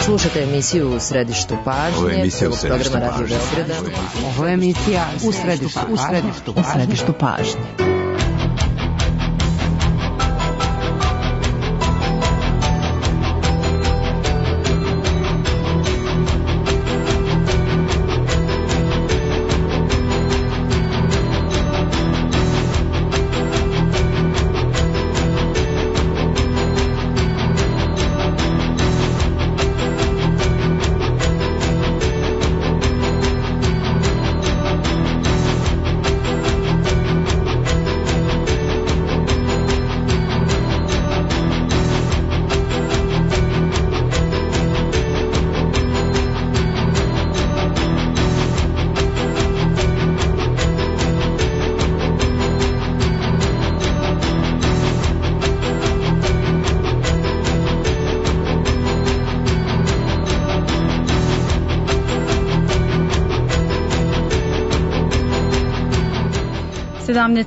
Slušate emisiju U središtu pažnje, programa Radio Beograda. Ovo je emisija U središtu pažnje.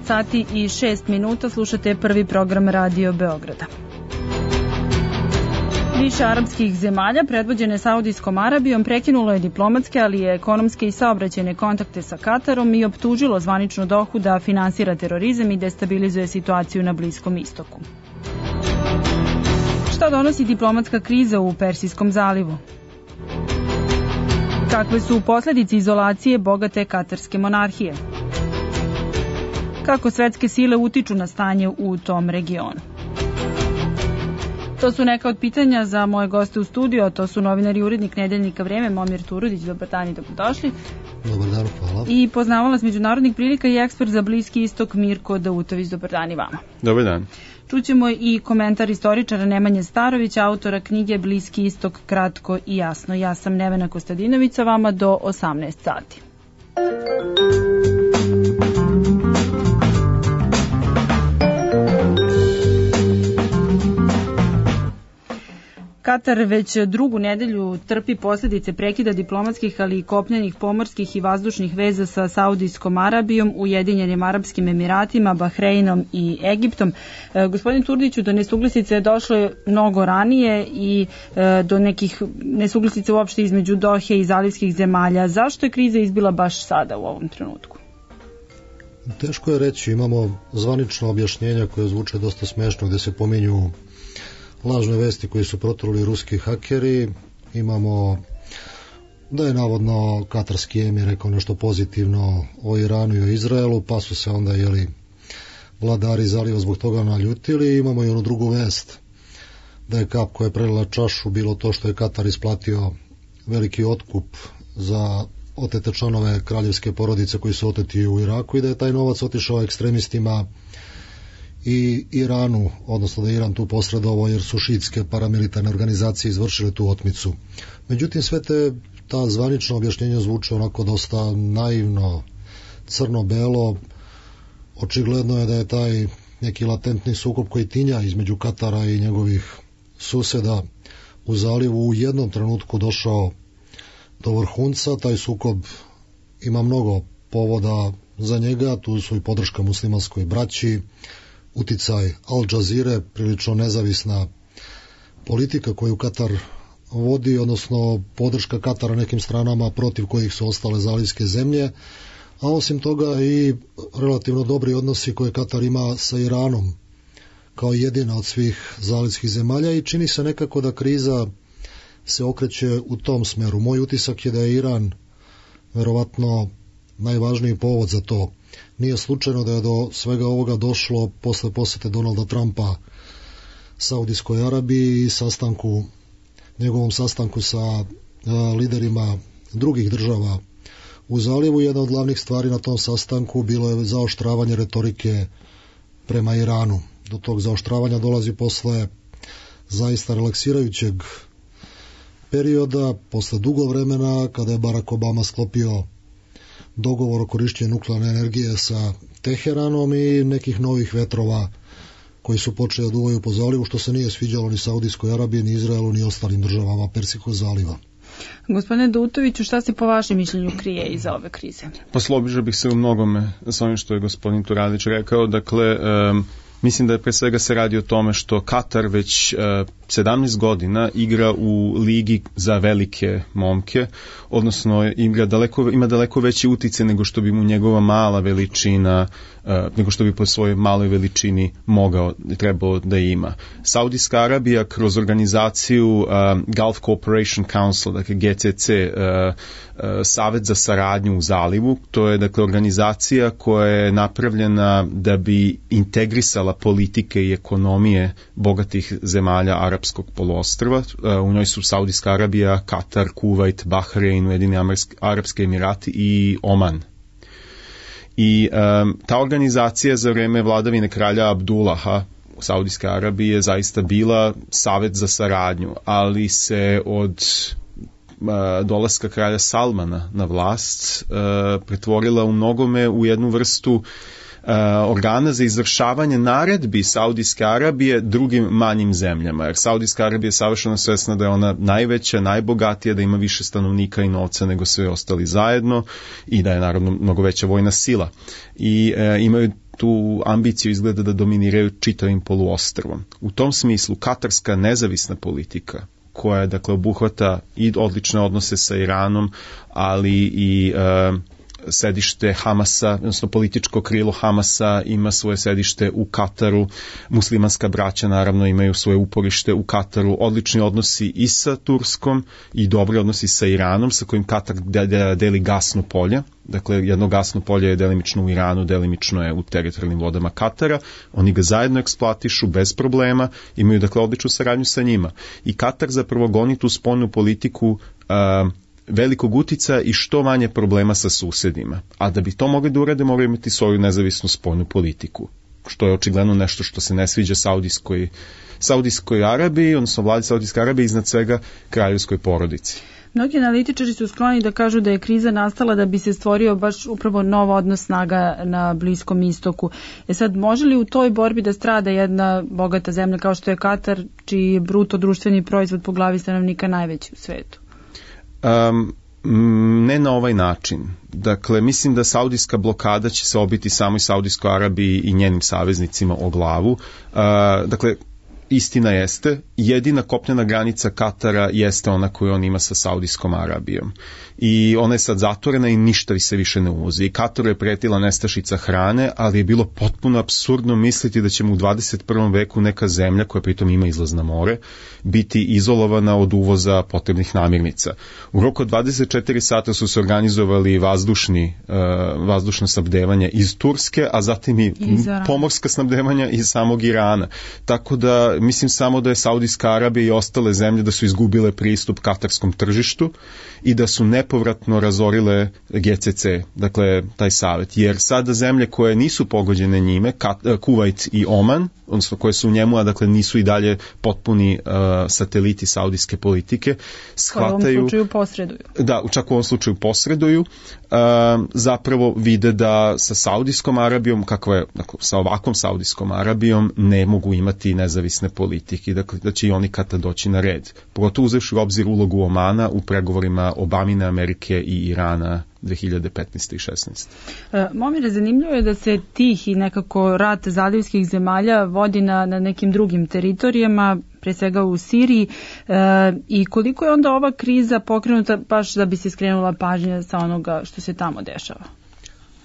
Sati i 6 minuta, slušate prvi program Radio Beograda. Više arapskih zemalja, predvođene Saudijskom Arabijom, prekinulo je diplomatske, ali i ekonomske i saobraćajne kontakte sa Katarom i optužilo zvaničnu Dohu da finansira terorizam i destabilizuje situaciju na Bliskom istoku. Šta donosi diplomatska kriza u Persijskom zalivu? Kakve su posledice izolacije bogate katarske monarhije? Kako svetske sile utiču na stanje u tom regionu? To su neka od pitanja za moje goste u studiju, a to su novinar i urednik Nedeljnika Vreme, Momir Turudić. Dobar dan i dobrodošli. Dobar dan, hvala. I poznavalac međunarodnih prilika i ekspert za Bliski istok Mirko Dautović. Dobar dan i vama. Dobar dan. Čućemo i komentar istoričara Nemanje Starovića, autora knjige Bliski istok kratko i jasno. Ja sam Nevena Kostadinović, sa vama do 18 sati. Katar već drugu nedelju trpi posljedice prekida diplomatskih, ali i kopnenih, pomorskih i vazdušnih veza sa Saudijskom Arabijom, Ujedinjenim Arapskim Emiratima, Bahreinom i Egiptom. Gospodin Turdiću, do nesuglasice je došlo mnogo ranije i do nekih nesuglasica uopšte između Dohe i zalivskih zemalja. Zašto je kriza izbila baš sada u ovom trenutku? Teško je reći, imamo zvanično objašnjenja koje zvuče dosta smešno, gde se pominju lažne vesti koji su proturili ruski hakeri. Imamo da je navodno katarski emir rekao nešto pozitivno o Iranu i o Izraelu, pa su se onda vladari zaliva zbog toga naljutili. Imamo i onu drugu vest da je kap koja je prelila čašu bilo to što je Katar isplatio veliki otkup za otete članove kraljevske porodice koji su oteti u Iraku i da je taj novac otišao ekstremistima i Iranu, odnosno da je Iran tu posredovao jer su šiitske paramilitarne organizacije izvršile tu otmicu. Međutim, sve ta zvanična objašnjenja zvuče onako dosta naivno, crno-belo. Očigledno je da je taj neki latentni sukob koji tinja između Katara i njegovih suseda u zalivu u jednom trenutku došao do vrhunca. Taj sukob ima mnogo povoda za njega, tu su i podrška muslimanskoj braći, uticaj Al Jazeere, prilično nezavisna politika koju Katar vodi, odnosno podrška Katara nekim stranama protiv kojih su ostale zalivske zemlje, a osim toga i relativno dobri odnosi koje Katar ima sa Iranom kao jedina od svih zalivskih zemalja i čini se nekako da kriza se okreće u tom smeru. Moj utisak je da je Iran verovatno najvažniji povod za to. Nije slučajno da je do svega ovoga došlo posle posete Donalda Trumpa Saudijskoj Arabiji i njegovom sastanku sa liderima drugih država u zalivu. Jedna od glavnih stvari na tom sastanku bilo je zaoštravanje retorike prema Iranu. Do tog zaoštravanja dolazi posle zaista relaksirajućeg perioda, posle dugo vremena kada je Barack Obama sklopio dogovor o korišćenju nuklearne energije sa Teheranom i nekih novih vetrova koji su počeli da duvaju po zalivu, što se nije sviđalo ni Saudijskoj Arabiji, ni Izraelu, ni ostalim državama Persijskog zaliva. Gospodine Dautoviću, šta se po vašem mišljenju krije iza ove krize? Pa složio bih se u mnogome s onim što je gospodin Turadić rekao. Dakle, Mislim da pre svega se radi o tome što Katar već 17 godina igra u ligi za velike momke, odnosno ima daleko veći uticaj nego što bi mu njegova mala veličina, nego što bi po svojoj maloj veličini trebao da ima. Saudijska Arabija kroz organizaciju Gulf Cooperation Council, dakle GCC, Savet za saradnju u zalivu, to je dakle organizacija koja je napravljena da bi integrisala politike i ekonomije bogatih zemalja arapskog poluostrva. U njoj su Saudijska Arabija, Katar, Kuvajt, Bahrein, Ujedinjeni Arapski Emirati i Oman. I ta organizacija za vreme vladavine kralja Abdullaha u Saudijskoj Arabiji je zaista bila savet za saradnju, ali se od dolaska kralja Salmana na vlast pretvorila u mnogome u jednu vrstu organa za izvršavanje naredbi Saudijske Arabije drugim manjim zemljama, jer Saudijska Arabija je savršeno svesna da je ona najveća, najbogatija, da ima više stanovnika i novca nego sve ostali zajedno i da je naravno mnogo veća vojna sila. I imaju tu ambiciju izgleda da dominiraju čitavim poluostrvom. U tom smislu katarska nezavisna politika, koja dakle obuhvata i odlične odnose sa Iranom, ali i sedište Hamasa, odnosno političko krilo Hamasa ima svoje sedište u Kataru, muslimanska braća naravno imaju svoje uporište u Kataru, odlični odnosi i sa Turskom i dobri odnosi sa Iranom, sa kojim Katar deli gasno polje. Dakle, jedno gasno polje je delimično u Iranu, delimično je u teritorijalnim vodama Katara. Oni ga zajedno eksploatišu bez problema, imaju dakle odličnu saradnju sa njima. I Katar zapravo goni tu spoljnu politiku velikog uticaja i što manje problema sa susedima. A da bi to mogli da urade, moraju imati svoju nezavisnu spoljnu politiku, što je očigledno nešto što se ne sviđa Saudijskoj Arabiji, odnosno vladi Saudijske Arabije, iznad svega kraljevskoj porodici. Mnogi analitičari su skloni da kažu da je kriza nastala da bi se stvorio baš upravo nov odnos snaga na Bliskom istoku. Sad, može li u toj borbi da strada jedna bogata zemlja kao što je Katar, čiji je bruto društveni proizvod po glavi stanovnika najveći u svetu? Ne na ovaj način. Dakle, mislim da saudijska blokada će se obiti samoj Saudijskoj Arabiji i njenim saveznicima o glavu. Dakle, istina jeste, jedina kopnena granica Katara jeste ona koju on ima sa Saudijskom Arabijom. I ona je sad zatvorena i ništa se više ne uvozi. I Kataru je pretila nestašica hrane, ali je bilo potpuno apsurdno misliti da ćemo u 21. veku neka zemlja, koja pritom ima izlaz na more, biti izolovana od uvoza potrebnih namirnica. U roku od 24 sata su se organizovali vazdušno snabdevanje iz Turske, a zatim i pomorska snabdevanja iz samog Irana. Tako da mislim samo da je Saudijska Arabija i ostale zemlje da su izgubile pristup katarskom tržištu i da su nepovratno razorile GCC, dakle taj savet. Jer sada zemlje koje nisu pogođene njime, Kuvajt i Oman, odnosno koje su u njemu, a dakle nisu i dalje potpuni sateliti saudijske politike, shvataju... U ovom slučaju posreduju. Da, čak u ovom slučaju posreduju, zapravo vide da sa Saudijskom Arabijom, sa ovakvom Saudijskom Arabijom ne mogu imati nezavisne politike, dakle da će i oni kada doći na red. Pogotovo uzevši u obzir ulogu Omana u pregovorima Obamine, Amerike i Irana 2015. i 16. Momire, zanimljivo je da se tih i nekako rat zalivskih zemalja vodi na nekim drugim teritorijama, pre svega u Siriji, i koliko je onda ova kriza pokrenuta baš da bi se skrenula pažnja sa onoga što se tamo dešava?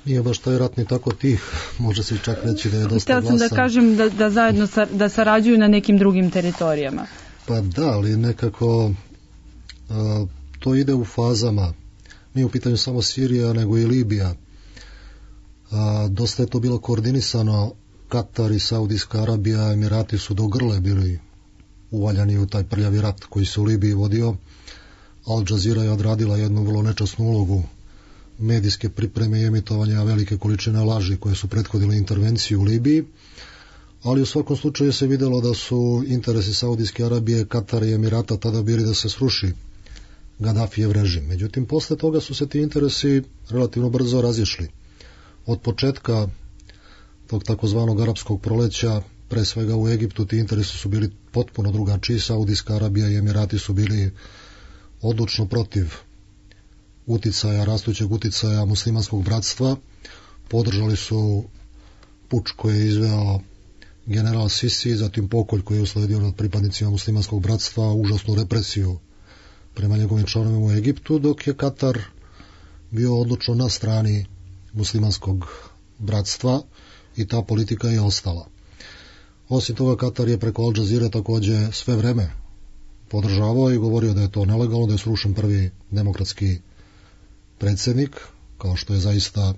Nije baš taj rat ni tako tih, može se čak reći da je dosta glasan. Htjela sam da kažem da zajedno da sarađuju na nekim drugim teritorijama. Pa da, ali nekako to ide u fazama. Nije u pitanju samo Sirija, nego i Libija. Dosta je to bilo koordinisano. Katar i Saudijska Arabija, Emirati su do grle bili uvaljani u taj prljavi rat koji se u Libiji vodio. Al Jazeera je odradila jednu vrlo nečasnu ulogu medijske pripreme i emitovanja velike količine laži koje su prethodile intervenciju u Libiji, ali u svakom slučaju se vidjelo da su interesi Saudijske Arabije, Katara i Emirata tada bili da se sruši Gaddafijev režim. Međutim, posle toga su se ti interesi relativno brzo razišli. Od početka tog takozvanog arapskog proleća, pre svega u Egiptu, ti interesi su bili potpuno drugačiji. Saudijska Arabija i Emirati su bili odlučno protiv rastućeg uticaja muslimanskog bratstva. Podržali su puč koji je izveo general Sisi, zatim pokolj koji je usledio nad pripadnicima muslimanskog bratstva, užasnu represiju prema njegovim članovima u Egiptu, dok je Katar bio odlučno na strani muslimanskog bratstva i ta politika je ostala. Osim toga, Katar je preko Al Jazeera takođe sve vreme podržavao i govorio da je to nelegalno, da je srušen prvi demokratski predsjednik, kao što je zaista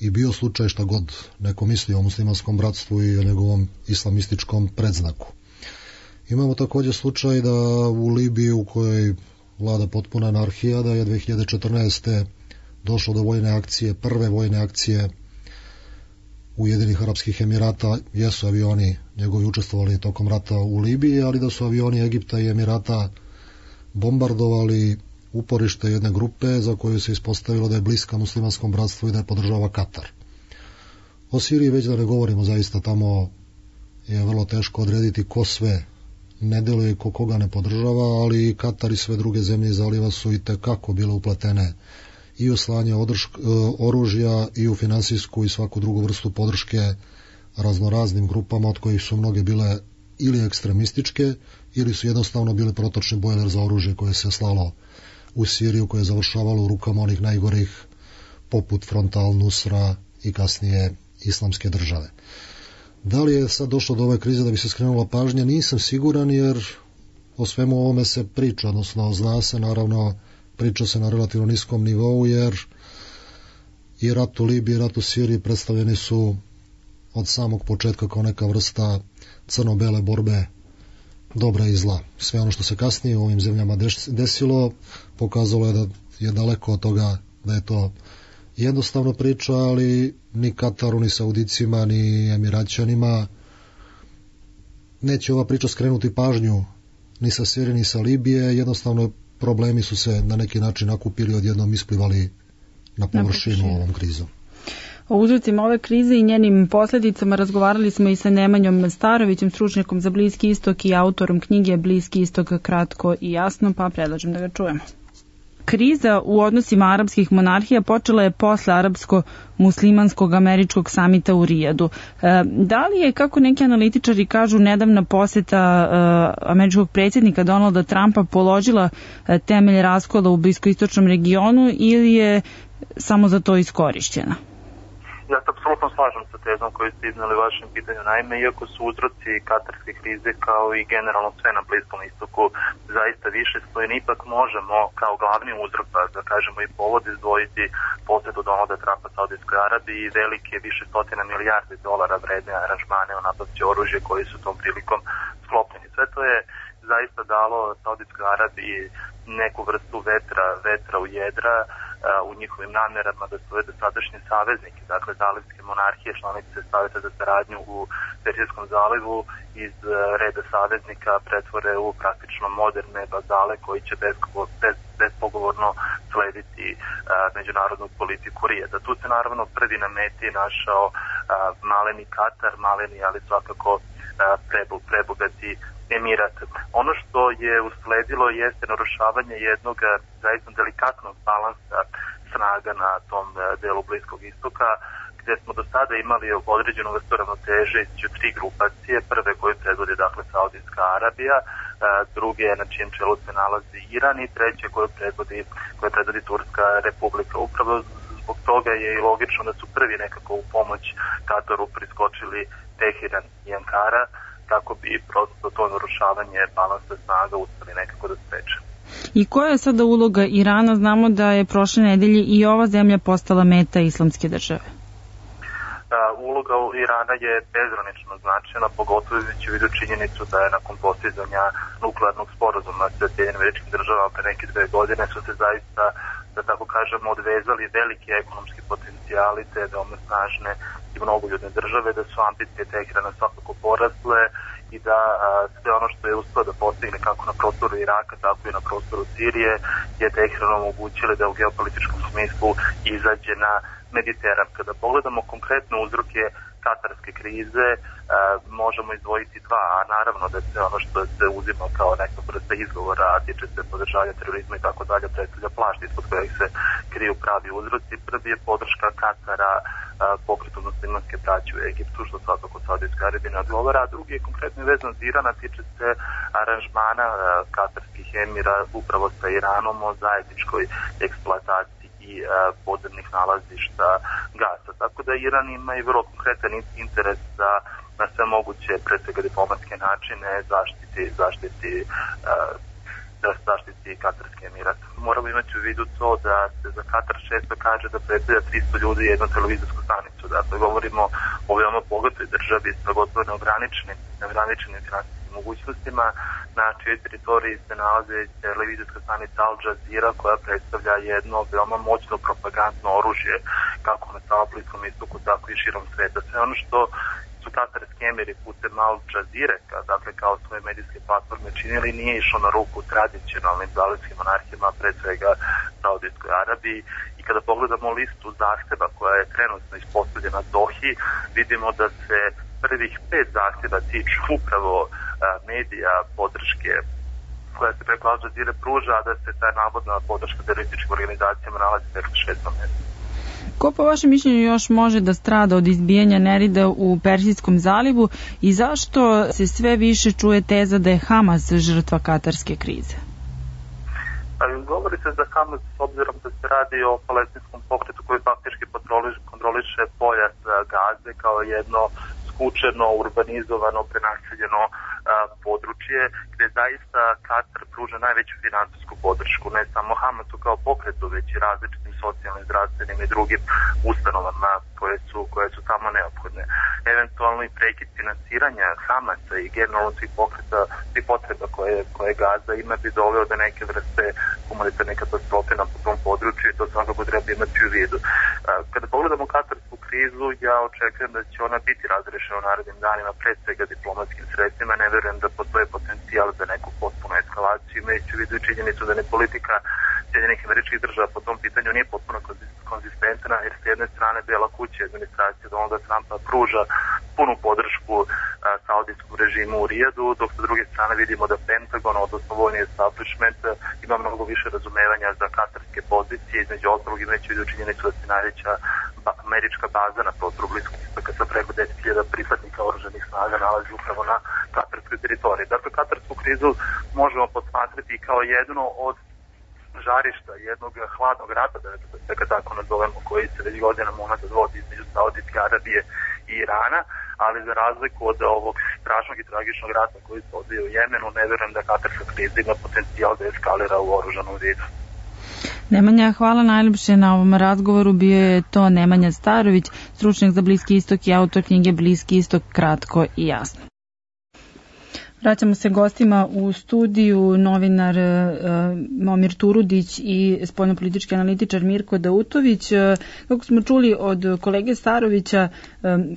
i bio slučaj, šta god neko misli o muslimanskom bratstvu i o njegovom islamističkom predznaku. Imamo također slučaj da u Libiji, u kojoj vlada potpuna anarhija, da je 2014. došlo do vojne akcije, prve vojne akcije Ujedinjenih Arapskih Emirata. Jesu avioni njegovi učestvovali tokom rata u Libiji, ali da su avioni Egipta i Emirata bombardovali uporište jedne grupe za koju se ispostavilo da je bliska muslimanskom bratstvu i da je podržava Katar. O Siriji već da ne govorimo, zaista tamo je vrlo teško odrediti ko sve ne deluje i koga ne podržava, ali Katar i sve druge zemlje zaliva su i tekako bile upletene i u slanje oružja i u finansijsku i svaku drugu vrstu podrške raznoraznim grupama, od kojih su mnoge bile ili ekstremističke ili su jednostavno bile protočni bojler za oružje koje se slalo u Siriju, koje je završavalo u rukama onih najgorih poput Frontal, Nusra i kasnije Islamske države. Da li je sad došlo do ove krize da bi se skrenula pažnja? Nisam siguran, jer o svemu ovome se priča, odnosno zna se, naravno priča se na relativno niskom nivou, jer i rat u Libiji i rat u Siriji predstavljeni su od samog početka kao neka vrsta crno-bele borbe dobra i zla. Sve ono što se kasnije u ovim zemljama desilo pokazalo je da je daleko od toga da je to jednostavno priča, ali ni Kataru, ni Saudicima, ni Emiraćanima neće ova priča skrenuti pažnju ni sa Sirije, ni sa Libije. Jednostavno problemi su se na neki način nakupili, odjednom isplivali na površinu ovom krizom. O uzrocima ove krize i njenim posljedicama razgovarali smo i sa Nemanjom Starovićem, stručnjakom za Bliski istok i autorom knjige Bliski istok kratko i jasno, pa predlažem da ga čujemo. Kriza u odnosima arapskih monarhija počela je posle arapsko-muslimanskog američkog samita u Rijadu. Da li je, kako neki analitičari kažu, nedavna poseta američkog predsjednika Donalda Trumpa položila temelj raskola u bliskoistočnom regionu ili je samo za to iskorišćena? Ja se apsolutno slažem sa tezom koju ste iznali u vašem pitanju. Naime, iako su uzroci katarske krize kao i generalno sve na Bliskom istoku zaista više spojeni, ipak možemo kao glavni uzrok, da kažemo i povod, izdvojiti posetu Donalda Trumpa Saudijskoj Arabiji i velike više stotina milijardi dolara vredne aranžmane o nabavci oružja koji su tom prilikom sklopljeni. Sve to je zaista dalo Saudijskoj Arabiji neku vrstu vetra u jedra u njihovim namjerama da svoje dosadašnje saveznike, dakle zalivske monarhije, članice Saveta za saradnju u Persijskom zalivu, iz reda saveznika pretvore u praktično moderne vazale koji će bespogovorno slediti međunarodnu politiku Rijada. Tu se naravno prvi na meti našao maleni Katar, maleni ali svakako prebogati Emirat. Ono što je usledilo jeste narušavanje jednog zaista delikatnog balansa snaga na tom delu Bliskog istoka, gdje smo do sada imali određenu vrstu ravnoteže između tri grupacije. Prve koju predvodi dakle Saudijska Arabija, druge na čijem čelu se nalazi Iran i treće koju predvodi Turska Republika. Upravo zbog toga je i logično da su prvi nekako u pomoć Kataru priskočili Teheran i Ankara, kako bi prosto to narušavanje balansa snaga uspeli nekako da spreče. I koja je sada uloga Irana? Znamo da je prošle nedelje i ova zemlja postala meta Islamske države. Uloga Irana je bezgranično značajna, pogotovo imajući u vidu činjenicu da je nakon postizanja nuklearnog sporazuma sa Sjedinjenim Američkim Državama pre neke 2 godine su se zaista, da tako kažemo, odvezali veliki ekonomski potencijali te veoma snažne i mnogoljudne države, da su ambicije Teherana svakako porasle i da sve ono što je uspio da postigne kako na prostoru Iraka, tako i na prostoru Sirije je Teheranu omogućili da u geopolitičkom smislu izađe na Mediteran. Kada pogledamo konkretne uzroke katarske krize možemo izdvojiti dva, a naravno da se ono što se uzima kao neka vrsta izgovora, a tiče se podržavanja terorizma i tako dalje, predstavlja plašt ispod kojeg se kriju pravi uzroci. Prvi je podrška Katara pokretu muslimanske braće u Egiptu, što svakako Saudijska Arabija ne odgovara, a drugi je konkretno vezan za Iran, a tiče se aranžmana katarskih emira upravo sa Iranom o zajedničkoj eksploataciji i podzemnih nalazišta gasa. Tako da Iran ima i vrlo konkretan interes da na sve moguće, pre svega diplomatske načine, zaštiti Katarski emirat. Moramo imati u vidu to da se za Katar često kaže da predstavlja 300 ljudi jednu televizijsku stanicu. Dakle, govorimo o veoma bogatoj državi sa gotovo neograničenim finansijskim mogućnostima, na čijoj teritoriji se nalaze televizijska stanica Al Jazeera, koja predstavlja jedno veoma moćno propagandno oružje kako na samom Bliskom istoku, tako i širom sveta. Sve ono što su katarski emiri putem Al Jazeera, dakle kao svoje medijske platforme činili, nije išlo na ruku tradicionalnim zalivskim monarhijama, pre svega Saudijskoj Arabiji. I kada pogledamo listu zahteva koja je trenutno ispostavljena Dohi, vidimo da se prvih 5 zahteva tiču upravo medija, podrške koja se preko Al Jazeera pruža, a da se ta navodna podrška terorističkim organizacijama nalazi preko 6. mjestu. Ko po vašem mišljenju još može da strada od izbijanja nerida u Persijskom zalivu i zašto se sve više čuje teza da je Hamas žrtva katarske krize? Govori se za Hamas s obzirom da se radi o palestinskom pokretu koji faktički kontroliše pojas Gaze kao jedno skučeno, urbanizovano, prenaseljeno područje gde zaista Katar pruža najveću finansijsku podršku, ne samo Hamasu kao pokretu, već i različitim socijalnim, zdravstvenim i drugim ustanovama koje su tamo neophodne. Eventualno i prekid finansiranja Hamasa i generalno svih potreba koje Gaza ima bi doveo do neke vrste humanitarne katastrofe na tom području i to svakako treba imati u vidu. Kada pogledamo katarsku krizu, ja očekujem da će ona biti razrešena u narednim danima, pre svega diplomatskim sredstvima. Ne verujem da postoje potencijal za neku potpunu eskalaciju, imajući u vidu činjenicu da ne politika Sjedinjenih Američkih Država po tom pitanju nije potpuno konzistentna, jer s jedne strane Bela kuća administracija Donalda Trumpa pruža punu podršku saudijskom režimu u Rijadu, dok sa druge strane vidimo da Pentagon, odnosno vojni establishment, ima mnogo više razumevanja za katarske pozicije, između ostalog imajući u vidu činjenicu da se najveća američka baza na prostoru Bliskog istoka sa preko 10.000 pripadnika oružanih snaga nalazi upravo na katarskoj teritoriji. Dakle, katarsku krizu možemo posmatrati kao jedno od žarišta jednog hladnog rata, da ga tako nazovemo, koji se već godinama unazad vodi između Saudijske Arabije i Irana, ali za razliku od ovog strašnog i tragičnog rata koji se odvija u Jemenu, ne verujem da katarska kriza ima potencijal da eskalira u oružanom vidu. Nemanja, hvala najljepše na ovom razgovoru. Bio je to Nemanja Starović, stručnjak za Bliski istok i autor knjige Bliski istok, kratko i jasno. Vraćamo se gostima u studiju, novinar Momir Turudić i spoljnopolitički analitičar Mirko Dautović. Kako smo čuli od kolege Starovića,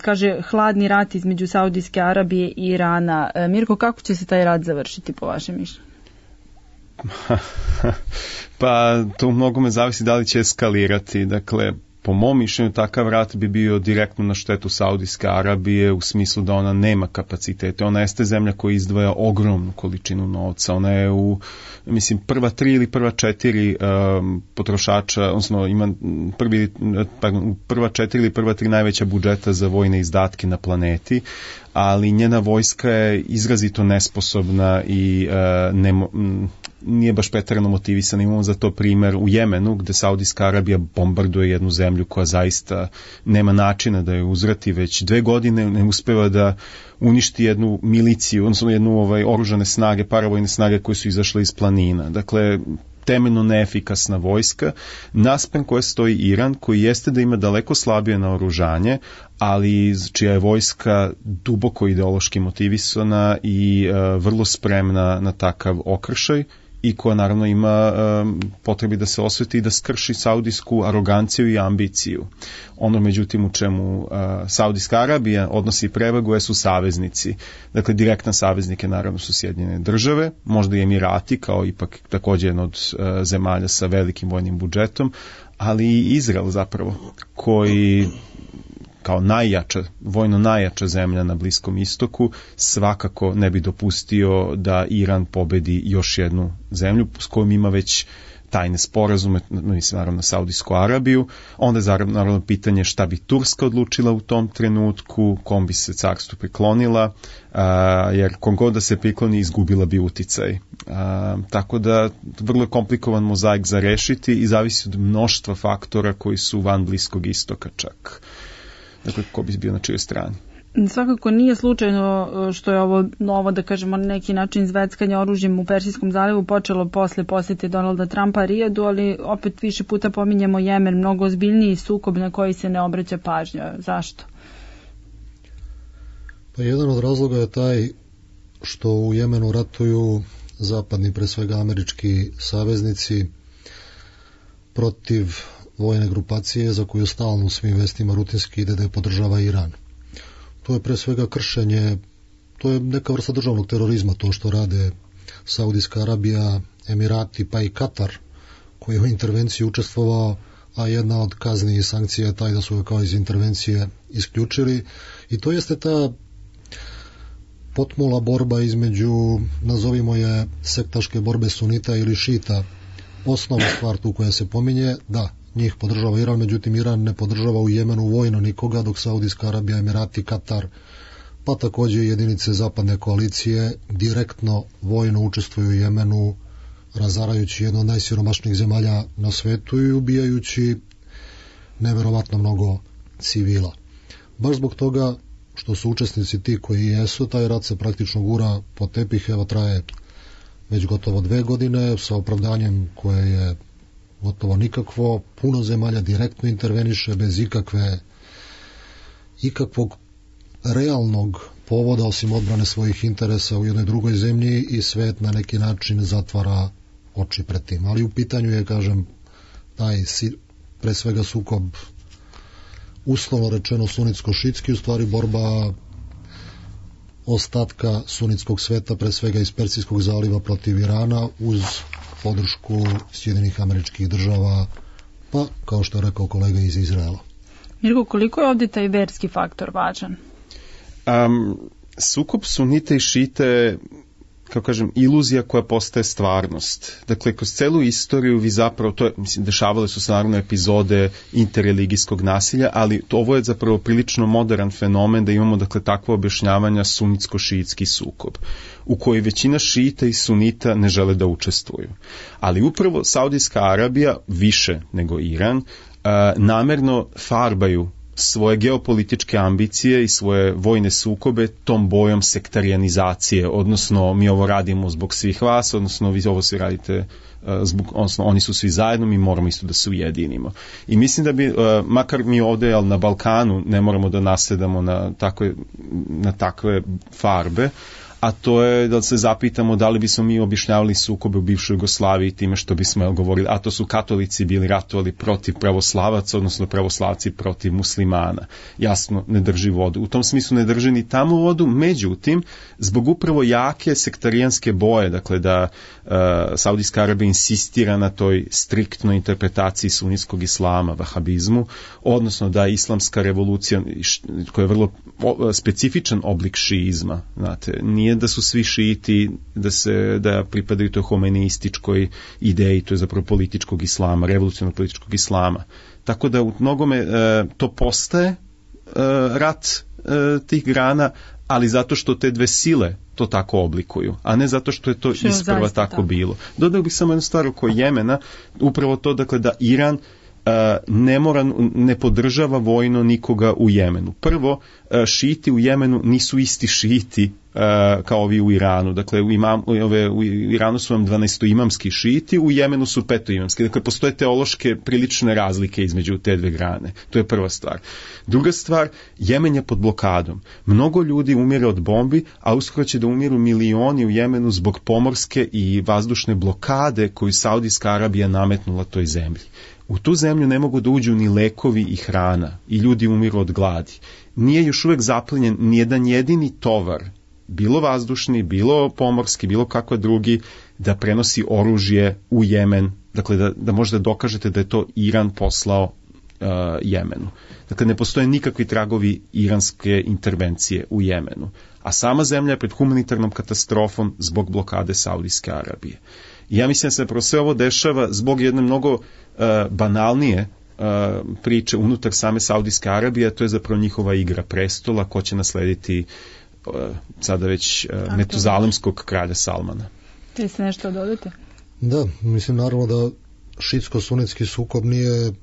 kaže hladni rat između Saudijske Arabije i Irana. Mirko, kako će se taj rat završiti po vašem mišljenju? Pa to mnogome zavisi da li će eskalirati. Dakle, po mom mišljenju takav rat bi bio direktno na štetu Saudijske Arabije u smislu da ona nema kapacitete. Ona jeste zemlja koja izdvaja ogromnu količinu novca. Ona je prva 3 ili prva 4 potrošača, odnosno ima prva 4 ili prva 3 najveća budžeta za vojne izdatke na planeti, ali njena vojska je izrazito nesposobna i nije baš preterano motivisana. Imamo za to primjer u Jemenu, gde Saudijska Arabija bombarduje jednu zemlju koja zaista nema načina da je uzvrati. Već 2 godine ne uspeva da uništi jednu miliciju, odnosno jednu oružane snage, paravojne snage koje su izašle iz planina. Dakle, temeljno neefikasna vojska, naspram koje stoji Iran, koji jeste da ima daleko slabije naoružanje, ali čija je vojska duboko ideološki motivisana i vrlo spremna na takav okršaj, i koja naravno ima potrebi da se osveti i da skrši saudijsku aroganciju i ambiciju. Ono međutim u čemu Saudijska Arabija odnosi prevagu su saveznici. Dakle, direktan saveznike naravno su Sjedinjene Države, možda i Emirati kao ipak također jedna od zemalja sa velikim vojnim budžetom, ali i Izrael zapravo, koji kao vojno najjača zemlja na Bliskom istoku, svakako ne bi dopustio da Iran pobedi još jednu zemlju s kojom ima već tajne sporazume, mislim naravno Saudijsku Arabiju. Onda je naravno pitanje šta bi Turska odlučila u tom trenutku, kom bi se carstvu priklonila, jer kom god da se prikloni izgubila bi uticaj. Tako da vrlo je komplikovan mozaik za rešiti i zavisi od mnoštva faktora koji su van Bliskog istoka čak. Dakle, ko bi bio na čijoj strani. Svakako nije slučajno što je ovo novo, da kažemo, na neki način zveckanje oružjem u Persijskom zalivu počelo posle posete Donalda Trumpa Rijadu, ali opet više puta pominjemo Jemen, mnogo ozbiljniji sukob na koji se ne obraća pažnja. Zašto? Pa jedan od razloga je taj što u Jemenu ratuju zapadni, pre svega američki saveznici protiv vojne grupacije za koju stalno u svim vestima rutinski ide da je podržava Iran. To je pre svega kršenje, to je neka vrsta državnog terorizma, to što rade Saudijska Arabija, Emirati pa i Katar, koji je u intervenciji učestvovao, a jedna od kazni i sankcija je taj da su ga kao iz intervencije isključili. I to jeste ta potmula borba između, nazovimo je, sektaške borbe sunita ili šita. Osnovna stvar tu koja se pominje, da, njih podržava Iran, međutim Iran ne podržava u Jemenu vojno nikoga, dok Saudijska Arabija, Emirati, Katar, pa također jedinice zapadne koalicije direktno vojno učestvuju u Jemenu, razarajući jednu od najsiromašnijih zemalja na svetu i ubijajući neverovatno mnogo civila. Baš zbog toga što su učesnici ti koji jesu, taj rat se praktično gura po tepih, evo traje već gotovo 2 godine, sa opravdanjem koje je gotovo nikakvo, puno zemalja direktno interveniše bez ikakvog realnog povoda osim odbrane svojih interesa u jednoj drugoj zemlji i svet na neki način zatvara oči pred tim. Ali u pitanju je, kažem, taj pre svega sukob uslovno rečeno sunitsko-šitski, u stvari borba ostatka sunitskog sveta, pre svega iz Persijskog zaliva protiv Irana, uz podršku Sjedinjenih Američkih Država, pa kao što je rekao kolega iz Izraela. Mirko, koliko je ovdje taj verski faktor važan? Sukob sunite i šite, kao kažem, iluzija koja postaje stvarnost. Dakle, kroz celu istoriju vi zapravo, dešavale su se naravno epizode interreligijskog nasilja, ali ovo je zapravo prilično modern fenomen da imamo, dakle, takvo objašnjavanja sunitsko-šiitski sukob, u kojoj većina šita i sunita ne žele da učestvuju. Ali upravo Saudijska Arabija, više nego Iran, namerno farbaju svoje geopolitičke ambicije i svoje vojne sukobe tom bojom sektarijanizacije, odnosno mi ovo radimo zbog svih vas, odnosno vi ovo svi radite odnosno oni su svi zajedno, mi moramo isto da se ujedinimo. I mislim da bi, makar mi ovdje na Balkanu ne moramo da nasledamo na takve farbe, a to je da se zapitamo da li bismo mi objašnjavali sukobe u bivšoj Jugoslaviji time što bismo govorili, a to su katolici bili ratovali protiv pravoslavaca, odnosno pravoslavci protiv muslimana. Jasno, ne drži vodu. U tom smislu ne drži ni tamo vodu, međutim, zbog upravo jake sektarijanske boje, dakle da Saudijska Arabija insistira na toj striktnoj interpretaciji sunitskog islama, vahabizmu, odnosno da islamska revolucija, koja je vrlo specifičan oblik šiizma, znate, nije da su svi šiti, da pripadaju toj homenističkoj ideji, to je zapravo političkog islama, revolucionarnog političkog islama. Tako da u mnogome to postaje rat tih grana, ali zato što te dve sile to tako oblikuju, a ne zato što je to isprva tako bilo. Dodao bih samo jednu stvar oko Jemena, upravo to, dakle, da Iran ne podržava vojno nikoga u Jemenu. Prvo, šiti u Jemenu nisu isti šiti kao ovi u Iranu. Dakle, u Iranu su vam 12-imamski šiti, u Jemenu su 5-imamski. Dakle, postoje teološke prilične razlike između te dve grane. To je prva stvar. Druga stvar, Jemen je pod blokadom. Mnogo ljudi umire od bombi, a uskoro će da umiru milioni u Jemenu zbog pomorske i vazdušne blokade koju Saudijska Arabija nametnula toj zemlji. U tu zemlju ne mogu da uđu ni lekovi i hrana i ljudi umiru od gladi. Nije još uvek zaplenjen nijedan jedini tovar, bilo vazdušni, bilo pomorski, bilo kakva drugi, da prenosi oružje u Jemen. Dakle, da možda dokažete da je to Iran poslao Jemenu. Dakle, ne postoje nikakvi tragovi iranske intervencije u Jemenu. A sama zemlja je pred humanitarnom katastrofom zbog blokade Saudijske Arabije. I ja mislim da se sve ovo dešava zbog jedne mnogo banalnije priče unutar same Saudijske Arabije, a to je zapravo njihova igra prestola, ko će naslediti sada već metuzalemskog kralja Salmana. Te se nešto dodate? Da, mislim naravno da šitsko-sunetski sukob nije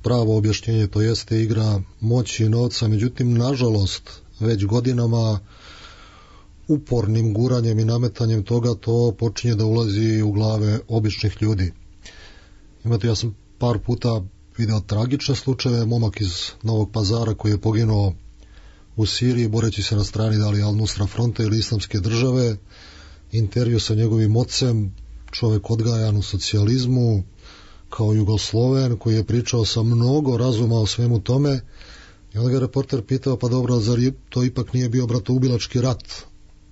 pravo objašnjenje, to jeste igra moći i novca, međutim, nažalost, već godinama upornim guranjem i nametanjem toga to počinje da ulazi u glave običnih ljudi. Imate, ja sam par puta video tragične slučaje, momak iz Novog Pazara koji je poginuo u Siriji boreći se na strani da li Al-Nusra fronta ili Islamske države, intervju sa njegovim ocem, čovjek odgajan u socijalizmu, kao Jugosloven, koji je pričao sa mnogo razuma o svemu tome, i onda ga reporter pitao, pa dobro, zar to ipak nije bio bratoubilački rat,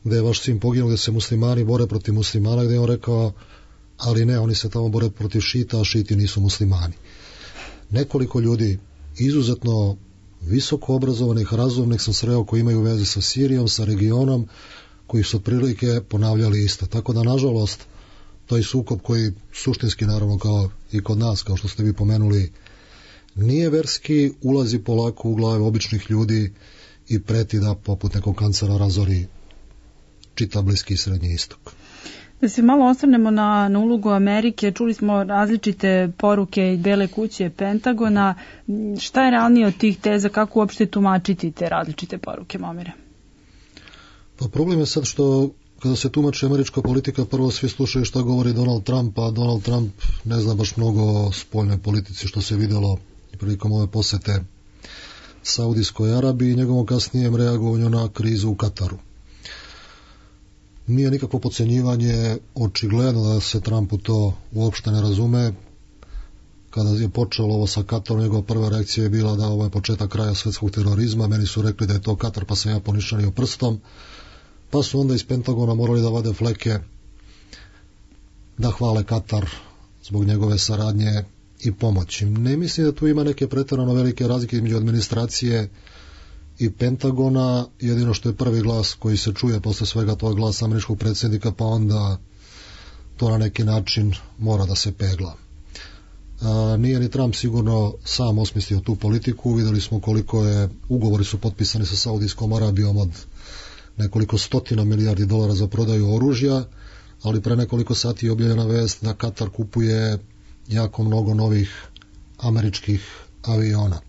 gde je vaš sin poginuo, gde se muslimani bore protiv muslimana, gde je on rekao, ali ne, oni se tamo bore protiv šita, a šiti nisu muslimani. Nekoliko ljudi, izuzetno visoko obrazovanih, razumnih sam sreo koji imaju veze sa Sirijom, sa regionom, koji su otprilike ponavljali isto. Tako da, nažalost, taj sukob koji suštinski, naravno, kao i kod nas, kao što ste vi pomenuli, nije verski, ulazi polako u glave običnih ljudi i preti da poput nekog kancera razori čitav Bliski i Srednji istok. Da se malo osvrnemo na ulogu Amerike, čuli smo različite poruke i Bele kuće, Pentagona. Šta je realnije od tih teza, kako uopšte tumačiti te različite poruke, Momire? Pa problem je sad što kada se tumači američka politika, prvo svi slušaju šta govori Donald Trump, a Donald Trump ne zna baš mnogo o spoljnoj politici, što se vidjelo prilikom ove posete Saudijskoj Arabiji i njegovom kasnijem reagovanju na krizu u Kataru. Nije nikakvo podcenjivanje, očigledno da se Trumpu to uopšte ne razume. Kada je počelo ovo sa Katarom, njegova prva reakcija je bila da ovo je početak kraja svetskog terorizma, meni su rekli da je to Katar, pa sam ja ponišanio prstom, pa su onda iz Pentagona morali da vade fleke, da hvale Katar zbog njegove saradnje i pomoći. Ne mislim da tu ima neke pretjerano velike razlike između administracije i Pentagona, jedino što je prvi glas koji se čuje posle svega toga glas američkog predsjednika, pa onda to na neki način mora da se pegla. Nije ni Trump sigurno sam osmislio tu politiku, videli smo koliko je, ugovori su potpisani sa Saudijskom Arabijom od nekoliko stotina milijardi dolara za prodaju oružja, ali pre nekoliko sati je objavljena vest da Katar kupuje jako mnogo novih američkih aviona.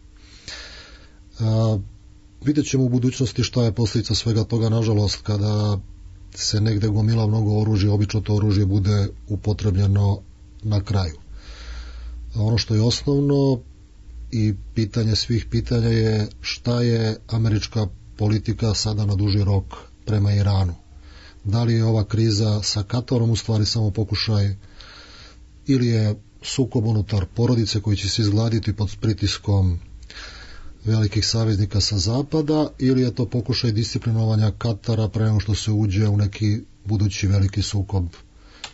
Vidjet ćemo u budućnosti šta je posljedica svega toga, nažalost, kada se negde gomila mnogo oružja, obično to oružje bude upotrebljeno na kraju. Ono što je osnovno i pitanje svih pitanja je šta je američka politika sada na duži rok prema Iranu. Da li je ova kriza sa Katarom u stvari samo pokušaj ili je sukob unutar porodice koji će se izgladiti pod pritiskom velikih saveznika sa zapada, ili je to pokušaj disciplinovanja Katara pre nego što se uđe u neki budući veliki sukob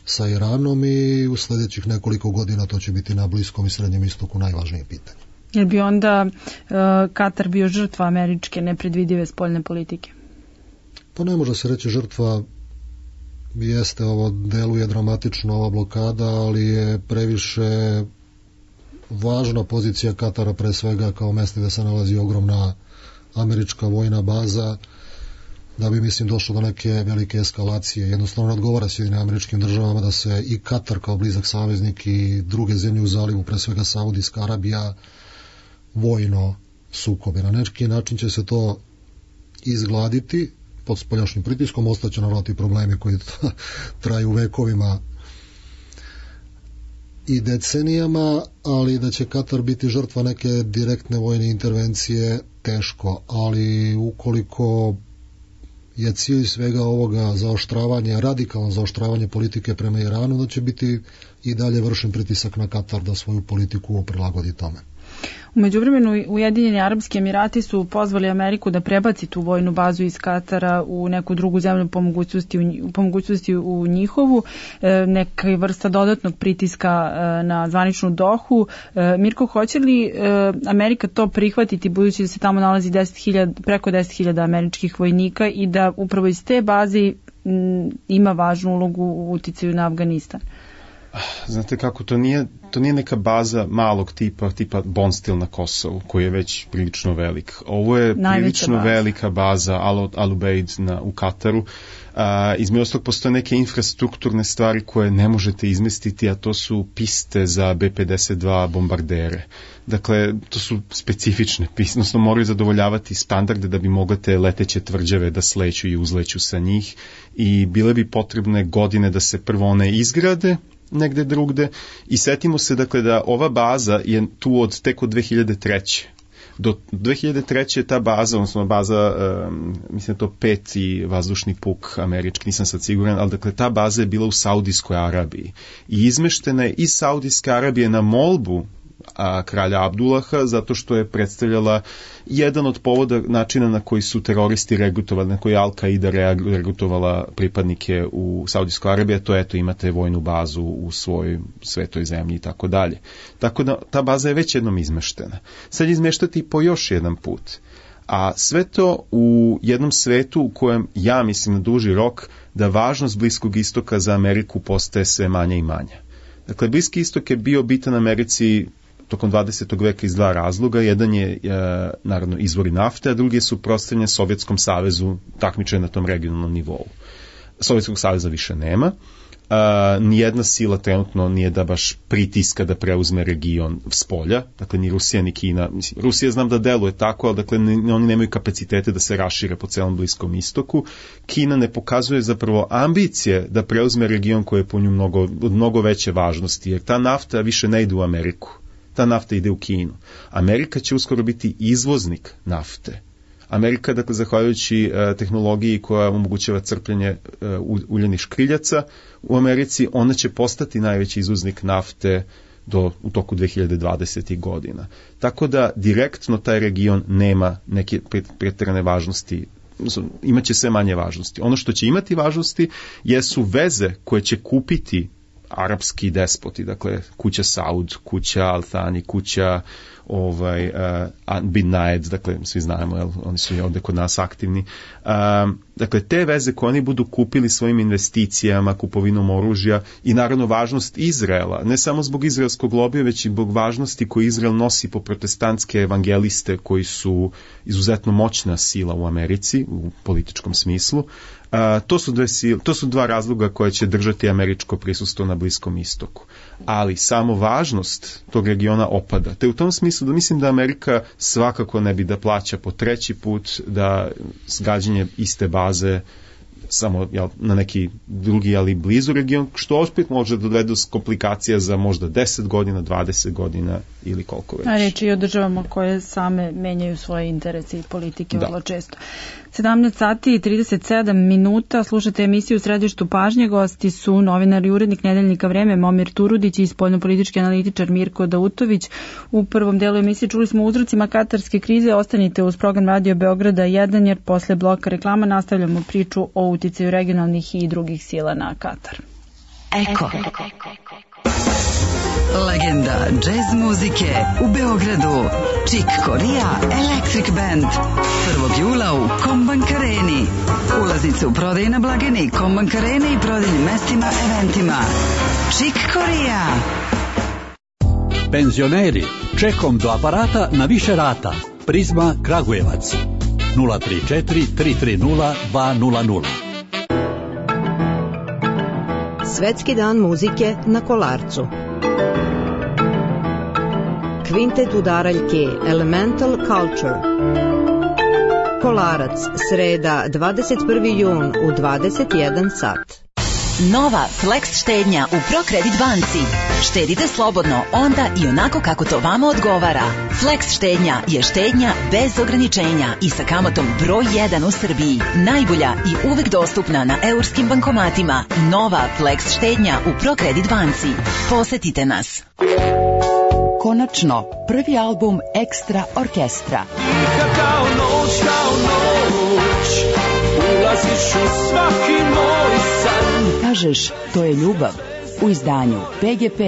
sa Iranom, i u sljedećih nekoliko godina to će biti na Bliskom i Srednjem istoku najvažnije pitanje. Jer bi onda Katar bio žrtva američke nepredvidive spoljne politike? Pa ne može se reći žrtva, jeste, ovo deluje dramatično, ova blokada, ali je previše važna pozicija Katara, pre svega kao mjesto gdje se nalazi ogromna američka vojna baza, da bi, mislim, došlo do neke velike eskalacije. Jednostavno ne odgovara Sjedinjenim Američkim Državama da se i Katar kao blizak saveznik i druge zemlje u zalivu, pre svega Saudijska Arabija, vojno sukobe. Na neki način će se to izgladiti pod spoljašnjim pritiskom, ostaće naravno ti problemi koji traju vekovima i decenijama, ali da će Katar biti žrtva neke direktne vojne intervencije, teško. Ali ukoliko je cilj svega ovoga zaoštravanje, radikalno zaoštravanje politike prema Iranu, da će biti i dalje vršen pritisak na Katar da svoju politiku prilagodi tome. U međuvremenu Ujedinjeni Arapski Emirati su pozvali Ameriku da prebaci tu vojnu bazu iz Katara u neku drugu zemlju po mogućnosti u njihovu, neka vrsta dodatnog pritiska na zvaničnu Dohu. Mirko, hoće li Amerika to prihvatiti budući da se tamo nalazi preko 10.000 američkih vojnika i da upravo iz te baze ima važnu ulogu u uticaju na Afganistan? Znate kako, to nije neka baza malog tipa Bonstil na Kosovu, koji je već prilično velik. Ovo je prilično velika baza Al Ubaid u Kataru. Između ostalog postoje neke infrastrukturne stvari koje ne možete izmestiti, a to su piste za B-52 bombardere. Dakle, to su specifične piste, odnosno moraju zadovoljavati standarde da bi mogle te leteće tvrđave da sleću i uzleću sa njih i bile bi potrebne godine da se prvo one izgrade negde drugde i setimo se dakle da ova baza je tu tek od 2003. Do 2003. ta baza, odnosno baza, mislim da to 5. vazdušni puk američki, nisam sad siguran, ali dakle ta baza je bila u Saudijskoj Arabiji i izmeštena je iz Saudijske Arabije na molbu kralja Abdullaha, zato što je predstavljala jedan od povoda načina na koji su teroristi regrutovali, na koji Al-Qaida regrutovala pripadnike u Saudijskoj Arabiji, to eto imate vojnu bazu u svojoj svetoj zemlji i tako dalje. Tako da ta baza je već jednom izmeštena. Sad izmeštati po još jedan put. A sve to u jednom svetu u kojem ja mislim na duži rok da važnost Bliskog istoka za Ameriku postaje sve manja i manja. Dakle, Bliski istok je bio bitan Americi tokom 20. veka iz dva razloga. Jedan je, naravno, izvori nafte, a drugi je suprotstavljanje Sovjetskom savezu, takmičenje na tom regionalnom nivou. Sovjetskog saveza više nema. Nijedna sila trenutno nije da baš pritiska da preuzme region s polja, dakle ni Rusija ni Kina. Mislim, Rusija znam da deluje tako, ali dakle oni nemaju kapacitete da se rašire po celom Bliskom istoku. Kina ne pokazuje zapravo ambicije da preuzme region koji je po nju mnogo veće važnosti, jer ta nafta više ne ide u Ameriku. Ta nafta ide u Kinu. Amerika će uskoro biti izvoznik nafte. Amerika, dakle, zahvaljujući tehnologiji koja omogućava crpljenje uljenih škriljaca u Americi, ona će postati najveći izvoznik nafte u toku 2020. godina. Tako da direktno taj region nema neke pretjerane važnosti, imaće sve manje važnosti. Ono što će imati važnosti jesu veze koje će kupiti arapski despoti, dakle kuća Saud, kuća Al Thani, kuća Bin Naed, dakle svi znamo, oni su i ovde kod nas aktivni. Dakle, te veze koje oni budu kupili svojim investicijama, kupovinom oružja i naravno važnost Izraela, ne samo zbog izraelskog lobija, već i zbog važnosti koju Izrael nosi po protestantske evangeliste koji su izuzetno moćna sila u Americi, u političkom smislu. To su dva razloga koje će držati američko prisustvo na Bliskom istoku. Ali samo važnost tog regiona opada. Te u tom smislu da mislim da Amerika svakako ne bi da plaća po treći put da gađanje iste baze samo na neki drugi, ali blizu region, što opet može dovede do komplikacija za možda 10 godina, 20 godina ili koliko već. A reč je o državama koje same menjaju svoje interese i politike vrlo često. 17 sati i 37 minuta, slušate emisiju u Središtu pažnje, gosti su novinar i urednik Nedeljnika Vreme Momir Turudić i spoljnopolitički analitičar Mirko Dautović. U prvom delu emisije čuli smo o uzrocima katarske krize, ostanite uz program Radio Beograda 1 jer posle bloka reklama nastavljamo priču o uticaju regionalnih i drugih sila na Katar. Eko. Legenda džez muzike u Beogradu. Chick Corea Electric Band. 1. jula u Kombank Areni. Ulaznice u prodaji na blagajni Kombank Arene i prodajnim mestima, eventima. Chick Corea. Penzioneri, čekom do aparata na više rata. Prizma Kragujevac. 034 330 200. Svetski dan muzike na Kolarcu. Kvintet udaraljke Elemental Culture. Kolarac, sreda, 21. jun u 21 sat. Nova Flex štednja u ProCredit banci. Štedite slobodno onda i onako kako to vama odgovara. Flex štednja je štednja bez ograničenja i sa kamatom broj 1 u Srbiji. Najbolja i uvek dostupna na eurskim bankomatima. Nova Flex štednja u ProCredit banci. Posetite nas. Konačno, prvi album Ekstra orkestra. Kao noć, ulaziš u svaki moj san. Kažeš, to je ljubav, u izdanju PGP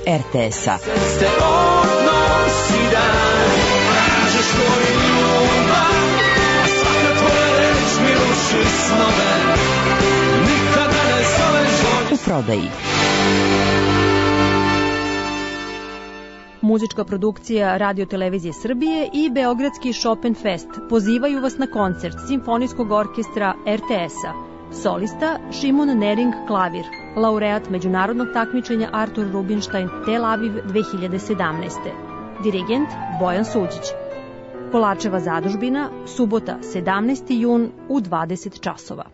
RTS-a. Ste odnosi dan, kažeš to je ljubav, a svaka tvoja reč mi ruši snove, nikada ne zoveš bolje. U prodaji. Muzička produkcija Radio Televizije Srbije i Beogradski Chopin Fest pozivaju vas na koncert Simfonijskog orkestra RTS-a. Solista Šimon Nering klavir, laureat međunarodnog takmičenja Artur Rubinstein Tel Aviv 2017. Dirigent Bojan Suđić. Polačeva zadužbina, subota 17. jun u 20 časova.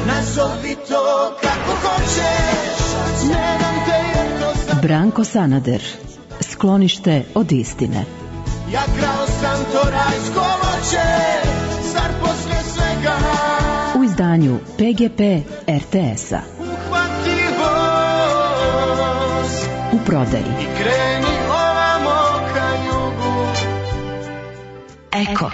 Nazovi to kako hoćeš, nemam te jedno. Branko Sanader, Sklonište od istine. Ja krao sam to rajsko voće, zar posle svega u izdanju PGP RTS-a. Uhvati voz u prodaji i kreni ovamo ka jugu. Eko.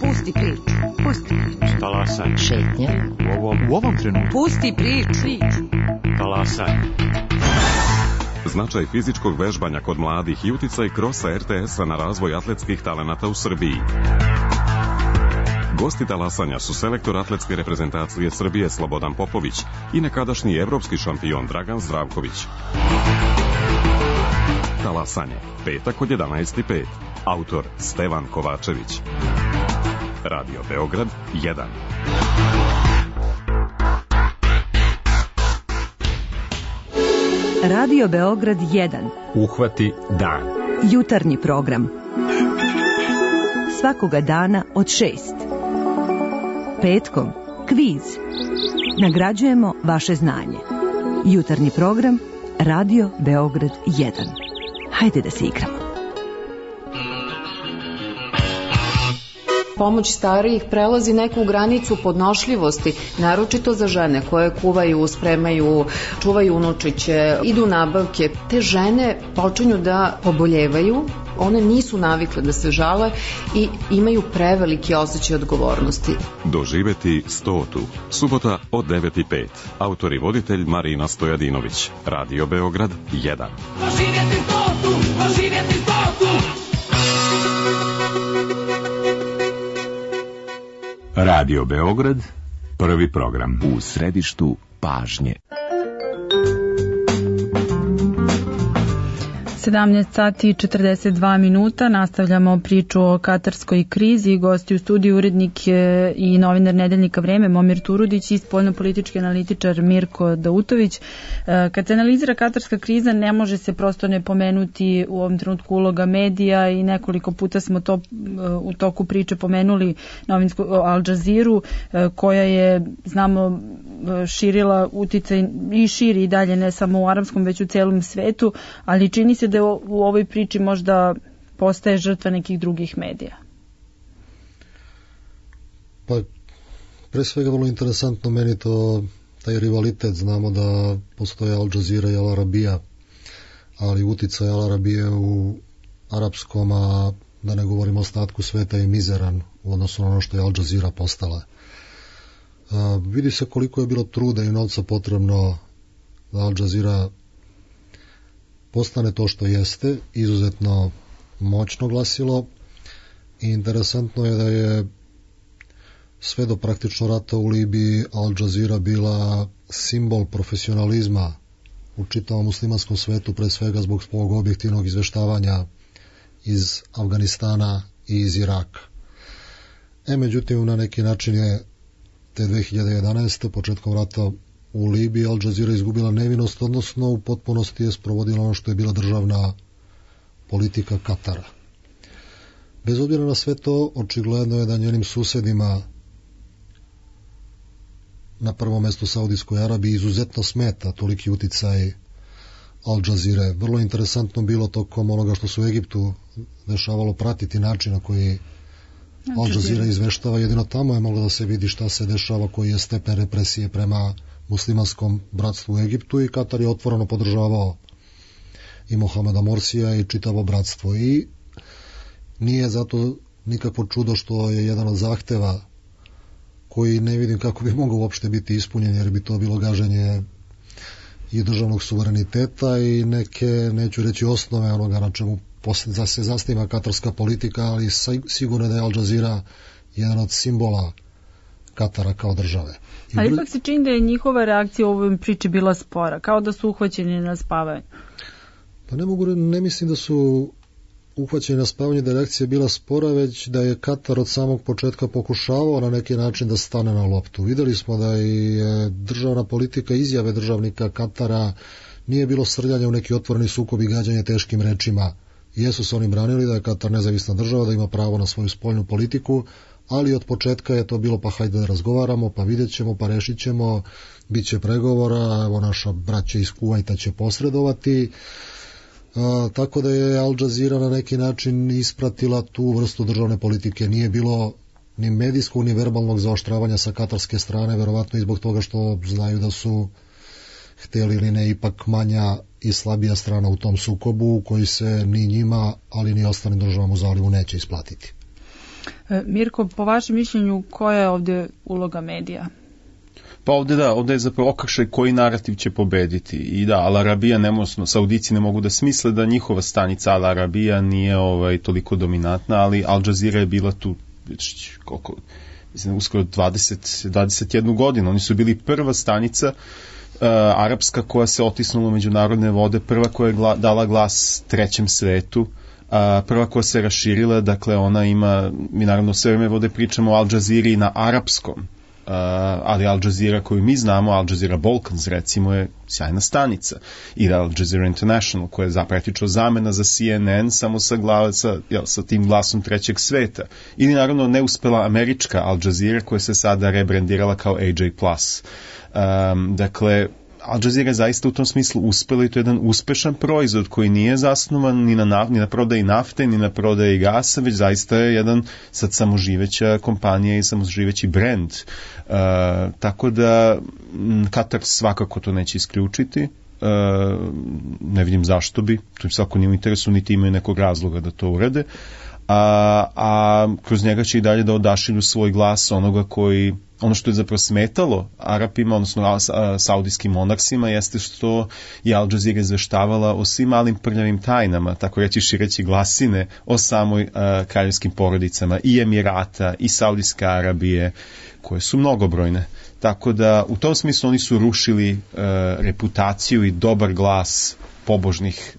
Pusti priču. Pusti priču. Talasaj. Šetnja. U ovom trenutku. Pusti priču. Talasaj. Značaj fizičkog vežbanja kod mladih i uticaj krosa RTS-a na razvoj atletskih talenata u Srbiji. Gosti talasanja su selektor atletske reprezentacije Srbije Slobodan Popović i nekadašnji evropski šampion Dragan Zdravković. Talasanje, petak od 11:05. Autor Stevan Kovačević. Radio Beograd 1. Radio Beograd 1. Uhvati dan. Jutarnji program. Svakoga dana od 6. Petkom kviz. Nagrađujemo vaše znanje. Jutarnji program Radio Beograd 1. Hajde da se igramo. Pomoć starijih prelazi neku granicu podnošljivosti, naročito za žene koje kuvaju, spremaju, čuvaju unučiće, idu nabavke. Te žene počinju da poboljevaju, one nisu navikle da se žale i imaju preveliki osjećaj odgovornosti. Doživeti 100. Subota od 9:05. Autor i voditelj Marina Stojadinović. Radio Beograd 1. Doživjeti 100. Doživjeti 100. Radio Beograd, prvi program. U središtu pažnje. 17 sati i 42 minuta, nastavljamo priču o katarskoj krizi. Gosti u studiju urednik i novinar Nedeljnika Vreme Momir Turudić i spoljnopolitički analitičar Mirko Dautović. Kad se analizira katarska kriza, ne može se prosto ne pomenuti u ovom trenutku uloga medija i nekoliko puta smo to u toku priče pomenuli novinsku Al Jazeeru, koja je, znamo, širila uticaj i širi i dalje ne samo u arapskom već u celom svetu, ali čini se da u ovoj priči možda postaje žrtva nekih drugih medija. Pa, pre svega vrlo interesantno meni to taj rivalitet. Znamo da postoje Al Jazeera i Al Arabija, ali uticaj Al Arabije u arapskom, a da ne govorimo o ostatku sveta, je mizeran u odnosu na ono što je Al Jazeera postala. Vidi se koliko je bilo truda i novca potrebno da Al Jazeera postane to što jeste, izuzetno moćno glasilo, i interesantno je da je sve do praktično rata u Libiji Al Jazeera bila simbol profesionalizma u čitavom muslimanskom svetu, pre svega zbog svog objektivnog izveštavanja iz Afganistana i iz Iraka. Međutim, na neki način je te 2011. početkom rata u Libiji Al Jazeera izgubila nevinost, odnosno u potpunosti je sprovodila ono što je bila državna politika Katara. Bez obzira na sve to, očigledno je da njenim susedima, na prvom mestu Saudijskoj Arabiji, izuzetno smeta toliki uticaj Al Jazeera. Vrlo interesantno bilo tokom onoga što se u Egiptu dešavalo pratiti način na koji Al Jazeera izveštava. Jedino tamo je moglo da se vidi šta se dešava, koji je stepen represije prema muslimanskom bratstvu u Egiptu i Katar je otvoreno podržavao i Mohameda Morsija i čitavo bratstvo. I nije zato nikakvo čudo što je jedan od zahteva koji ne vidim kako bi mogao uopšte biti ispunjen, jer bi to bilo gaženje i državnog suvereniteta i neke, neću reći osnove onoga na čemu se zasniva katarska politika, ali sigurno da je Al Jazeera jedan od simbola Katara kao države. Ali ipak se čini da je njihova reakcija u ovoj priči bila spora, kao da su uhvaćeni na spavanju. Pa ne mislim da su uhvaćeni na spavanju, da je reakcija bila spora, već da je Katar od samog početka pokušavao na neki način da stane na loptu. Videli smo da je državna politika, izjave državnika Katara, nije bilo srljanja u neki otvoreni sukob i gađanje teškim rečima. Jesu se oni branili da je Katar nezavisna država, da ima pravo na svoju spoljnu politiku, ali od početka je to bilo pa hajde da razgovaramo, pa vidjet ćemo, pa rešit ćemo, bit će pregovora, evo naša braća iz Kuvajta će posredovati. Tako da je Al Jazeera na neki način ispratila tu vrstu državne politike. Nije bilo ni medijskog ni verbalnog zaoštravanja sa katarske strane, verovatno i zbog toga što znaju da su hteli ili ne ipak manja i slabija strana u tom sukobu koji se ni njima, ali ni ostalim državama u zalivu neće isplatiti. Mirko, po vašem mišljenju, koja je ovdje uloga medija? Pa ovdje je zapravo okršaj koji narativ će pobediti. I da, Al Arabija, Saudici ne mogu da smisle da njihova stanica Al Arabija nije toliko dominantna, ali Al Jazeera je bila tu uskoro 21 godinu. Oni su bili prva stanica arapska koja se otisnula u međunarodne vode, prva koja je dala glas trećem svetu, prva koja se raširila, dakle ona ima, mi naravno sve vreme vode pričamo o Al Jazeera na arapskom, ali Al Jazeera koju mi znamo, Al Jazeera Balkans recimo, je sjajna stanica, i Al Jazeera International koja je praktično zamena za CNN samo sa tim glasom trećeg sveta, ili naravno neuspela američka Al Jazeera koja se sada rebrandirala kao AJ+. Dakle, Al Jazeera je zaista u tom smislu uspela i to je jedan uspešan proizvod koji nije zasnovan ni na prodaji nafte, ni na prodaji gasa, već zaista je jedan sad samoživeća kompanija i samoživeći brend. Tako da Katar svakako to neće isključiti. Ne vidim zašto bi, to im svako nije u interesu, niti imaju nekog razloga da to urade. A kroz njega će i dalje da odašilju svoj glas onoga koji, ono što je zapravo smetalo Arapima, odnosno saudijskim monaksima, jeste što je Al Jazeera izveštavala o svim malim prljavim tajnama, tako reći šireći glasine o samoj kraljevskim porodicama i Emirata i Saudijske Arabije, koje su mnogobrojne. Tako da u tom smislu oni su rušili reputaciju i dobar glas pobožnih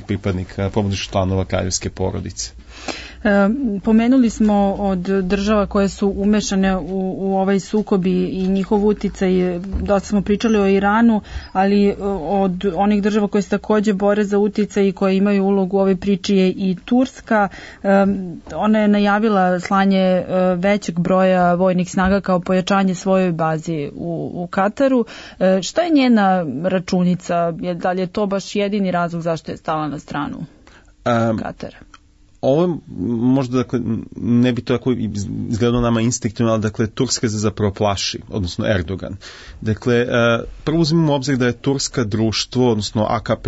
pripadnika, pobožnih članova kraljevske porodice. Pomenuli smo od država koje su umešane u ovaj sukob i njihov uticaj, dosta smo pričali o Iranu, ali od onih država koje se takođe bore za uticaj i koje imaju ulogu u ovoj priči je i Turska. Ona je najavila slanje većeg broja vojnih snaga kao pojačanje svojoj bazi u Kataru. Šta je njena računica? Da li je to baš jedini razlog zašto je stala na stranu Katara? Ovo možda, dakle, ne bi to tako izgledalo nama instinktivno, ali dakle Turska se zapravo plaši, odnosno Erdogan. Dakle, prvo uzmimo u obzir da je Turska društvo, odnosno AKP,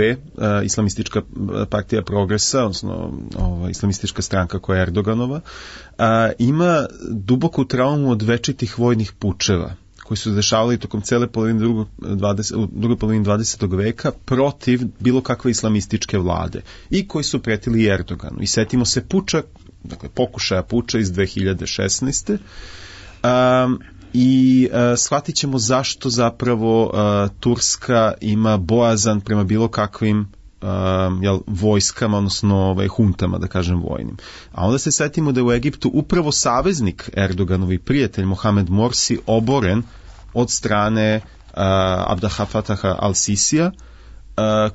Islamistička partija progresa, odnosno islamistička stranka koja je Erdoganova, ima duboku traumu od večitih vojnih pučeva koji su dešavali tokom cele druge polovine 20. veka protiv bilo kakve islamističke vlade i koji su pretili Erdoganu. I setimo se puča, dakle pokušaja puča iz 2016. I shvatit ćemo zašto zapravo Turska ima bojazan prema bilo kakvim vojskama, odnosno huntama, da kažem, vojnim. A onda se setimo da je u Egiptu upravo saveznik Erdoganovi prijatelj Mohamed Morsi oboren od strane Abdel Fataha al-Sisija,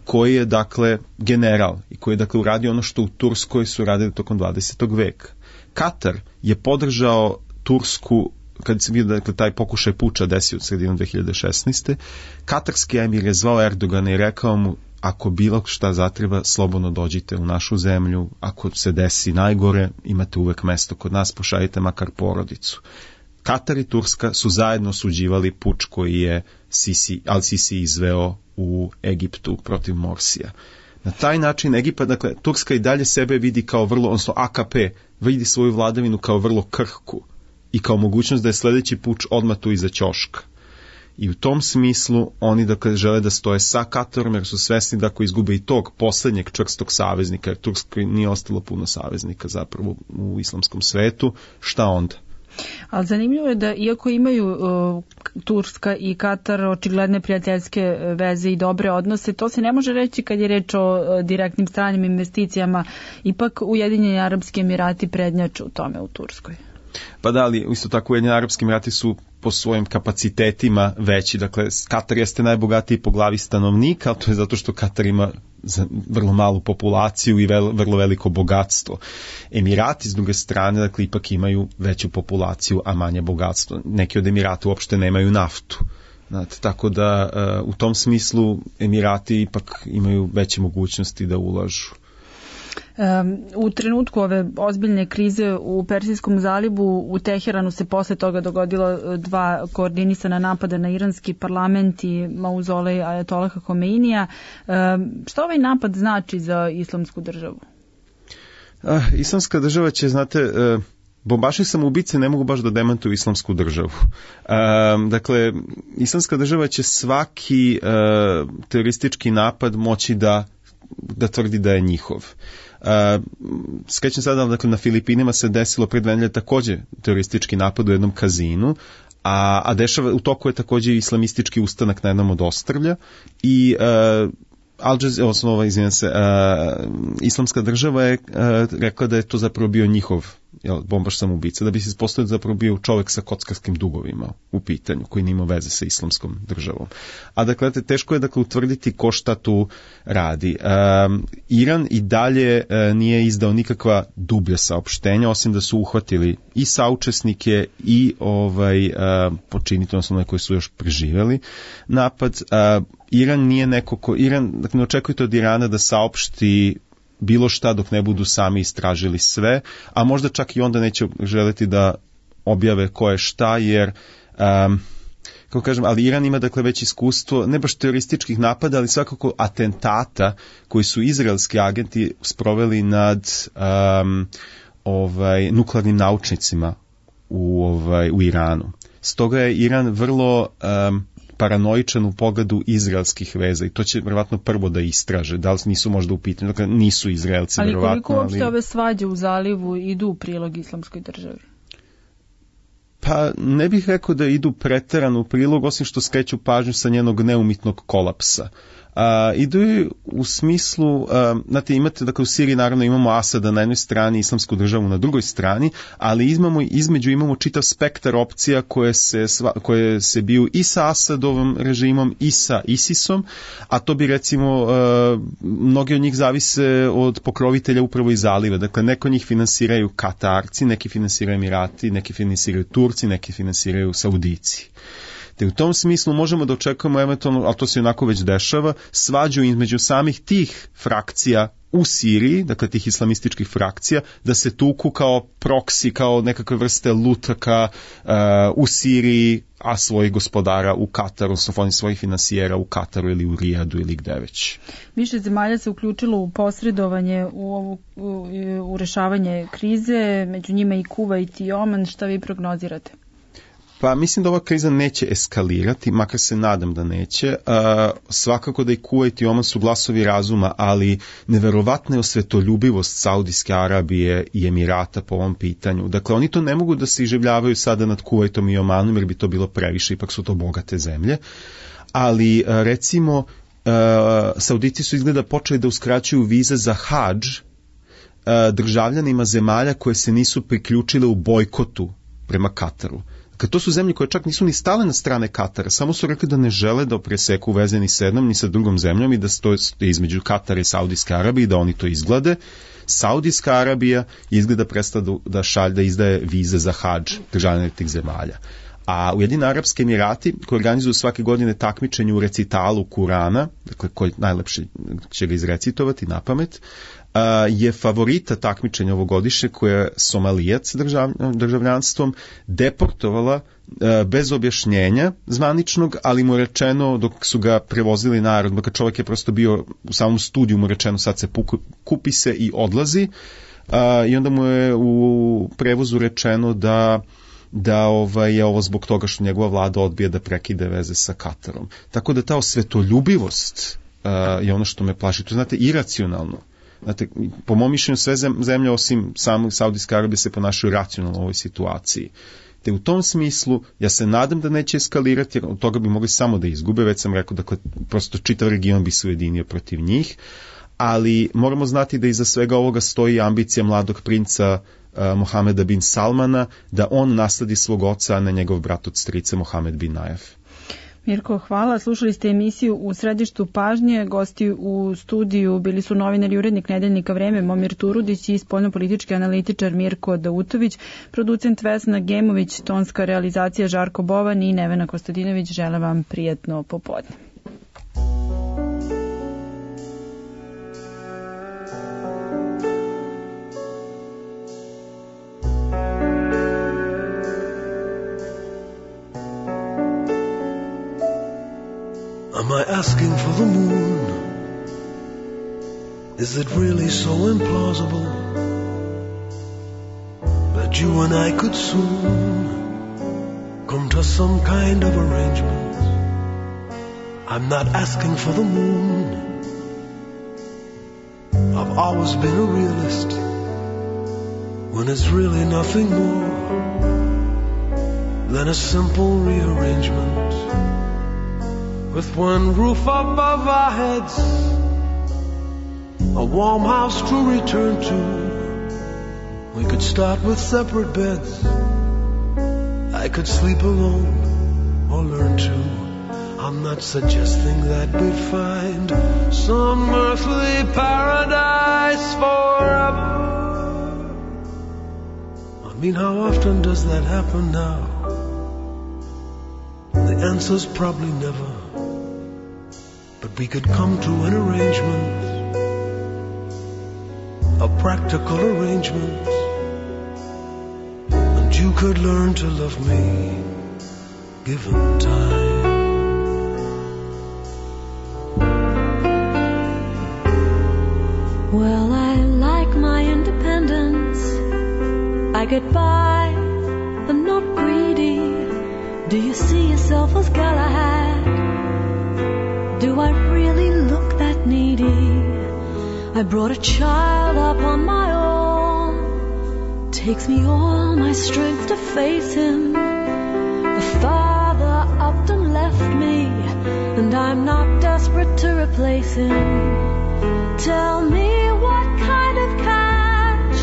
koji je dakle general i koji je dakle uradio ono što u Turskoj su radili tokom 20. veka. Katar je podržao Tursku kad se vidio dakle taj pokušaj puča desio od sredinom 2016. Katarski emir je zvao Erdogana i rekao mu: ako bilo šta zatreba, slobodno dođite u našu zemlju, ako se desi najgore, imate uvek mesto kod nas, pošaljite makar porodicu. Katar i Turska su zajedno osuđivali puč koji je Al-Sisi izveo u Egiptu protiv Morsija. Na taj način Egipat, dakle, Turska i dalje sebe vidi kao vrlo, odnosno AKP, vidi svoju vladavinu kao vrlo krhku i kao mogućnost da je sljedeći puč odmah tu iza ćoška. I u tom smislu oni, dakle, žele da stoje sa Katarom, jer su svesni da ako izgube i tog posljednjeg čvrstog saveznika, jer Turskoj nije ostalo puno saveznika zapravo u islamskom svetu, šta onda? Ali zanimljivo je da iako imaju Turska i Katar očigledne prijateljske veze i dobre odnose, to se ne može reći kad je reč o direktnim stranim investicijama, ipak Ujedinjeni Arapski Emirati prednjaču u tome u Turskoj. Pa da, ali isto tako Ujedinjeni Arapski Emirati su po svojim kapacitetima veći. Dakle, Katar jeste najbogatiji po glavi stanovnika, ali to je zato što Katar ima vrlo malu populaciju i vrlo veliko bogatstvo. Emirati, s druge strane, dakle, ipak imaju veću populaciju, a manje bogatstvo. Neki od Emirata uopšte nemaju naftu. Znate, tako da u tom smislu Emirati ipak imaju veće mogućnosti da ulažu. U trenutku ove ozbiljne krize u Persijskom zalivu u Teheranu se posle toga dogodilo 2 koordinisana napada na iranski parlament i mauzolej Ajatolaha Homeinija. Šta ovaj napad znači za islamsku državu? Islamska država će, znate, bombašni samoubice ne mogu baš da demantuju islamsku državu. Dakle, islamska država će svaki teroristički napad moći da tvrdi da je njihov. Skrećem sada, dakle, na Filipinima se desilo pred 2 nedelje također teroristički napad u jednom kazinu, a dešava, u toku je također islamistički ustanak na jednom od ostrvlja i islamska država je rekla da je to zapravo bio njihov bombaš samoubica, da bi se ispostavio zapravo bio čovjek sa kockarskim dugovima u pitanju, koji nima veze sa islamskom državom. A dakle, teško je, dakle, utvrditi ko šta tu radi. Iran i dalje nije izdao nikakva dublja saopštenja, osim da su uhvatili i saučesnike i počinitelje, odnosno one koji su još preživjeli napad. Iran nije neko dakle, ne očekujte od Irana da saopšti bilo šta dok ne budu sami istražili sve, a možda čak i onda neće želiti da objave ko je šta, jer kako kažem, ali Iran ima, dakle, već iskustvo, ne baš terorističkih napada, ali svakako atentata koji su izraelski agenti sproveli nad nuklearnim naučnicima u Iranu. Stoga je Iran vrlo paranoičan u pogledu izraelskih veza i to će vjerovatno prvo da istraže, da li nisu možda u pitanju, dakle nisu Izraelci vjerovatno. Ali koliko uopšte ove svađe u zalivu idu u prilog islamskoj državi? Pa ne bih rekao da idu preterano u prilog, osim što skreću pažnju sa njenog neumitnog kolapsa. Idu u smislu, znate, imate, dakle, u Siriji naravno imamo Asada na jednoj strani, islamsku državu na drugoj strani, ali između imamo čitav spektar opcija koje se biju i sa Asadovim režimom i sa ISIS-om, a to bi, recimo, mnogi od njih zavise od pokrovitelja upravo iz zaliva. Dakle, neko njih finansiraju Katarci, neki finansiraju Emirati, neki finansiraju Turci, neki finansiraju Saudici. Te u tom smislu možemo da očekujemo eventualno, ali to se onako već dešava, svađu između samih tih frakcija u Siriji, dakle tih islamističkih frakcija, da se tuku kao proksi, kao nekakve vrste lutaka u Siriji, a svojih gospodara u Kataru, odnosno svojih finansijera u Kataru ili u Rijadu ili gde već. Više zemalja se uključilo u posredovanje u rešavanje krize, među njima i Kuvajt i Oman. Šta vi prognozirate? Pa mislim da ova kriza neće eskalirati, makar se nadam da neće. Svakako da i Kuvajt i Oman su glasovi razuma, ali neverovatna je osvetoljubivost Saudijske Arabije i Emirata po ovom pitanju. Dakle, oni to ne mogu da se iživljavaju sada nad Kuvajtom i Omanom, jer bi to bilo previše, ipak su to bogate zemlje. Ali, recimo, Saudici su izgleda počeli da uskraćuju vize za hadž državljanima zemalja koje se nisu priključile u bojkotu prema Kataru. Kad to su zemlje koje čak nisu ni stale na strane Katara, samo su rekli da ne žele da preseku veze ni sa jednom ni sa drugom zemljom i da stoje između Katara i Saudijske Arabije i da oni to izglade. Saudijska Arabija izgleda prestala da izdaje vize za hadž državljana tih zemalja. A Ujedinjeni Arapski Emirati, koji organizuju svake godine takmičenje u recitalu Kurana, dakle koji najlepše će ga izrecitovati na pamet, je favorita takmičenja ovogodišnje koja je Somalijac državljanstvom deportovala bez objašnjenja zvaničnog, ali mu rečeno dok su ga prevozili narod, dok čovjek je prosto bio u samom studiju, mu rečeno sad se kupi se i odlazi, i onda mu je u prevozu rečeno da je ovo zbog toga što njegova vlada odbija da prekide veze sa Katarom. Tako da ta osvetoljubivost je ono što me plaši. To znate, iracionalno. Znate, po mom mišljenju sve zemlje osim samog Saudijske Arabije se ponašaju racionalno u ovoj situaciji. Te u tom smislu ja se nadam da neće eskalirati, jer od toga bi mogli samo da izgube, već sam rekao, dakle, prosto čitav region bi se ujedinio protiv njih, ali moramo znati da iza svega ovoga stoji ambicija mladog princa Mohameda bin Salmana, da on nasledi svog oca, a ne njegov brat od strica Mohamed bin Najef. Mirko, hvala. Slušali ste emisiju U središtu pažnje. Gosti u studiju bili su novinar i urednik Nedeljnika Vreme Momir Turudić i spoljnopolitički analitičar Mirko Dautović, producent Vesna Gemović, tonska realizacija Žarko Bovan i Nevena Kostadinović. Želim vam prijatno popodne. Am I asking for the moon? Is it really so implausible that you and I could soon come to some kind of arrangement? I'm not asking for the moon. I've always been a realist when it's really nothing more than a simple rearrangement. With one roof above our heads, a warm house to return to. We could start with separate beds. I could sleep alone or learn to. I'm not suggesting that we'd find some earthly paradise forever. I mean, how often does that happen now? The answer's probably never. But we could come to an arrangement, a practical arrangement, and you could learn to love me, given time. Well, I like my independence. I get by, I'm not greedy. Do you see yourself as Galahad? Do I really look that needy? I brought a child up on my own. Takes me all my strength to face him. The father upped and left me, and I'm not desperate to replace him. Tell me what kind of catch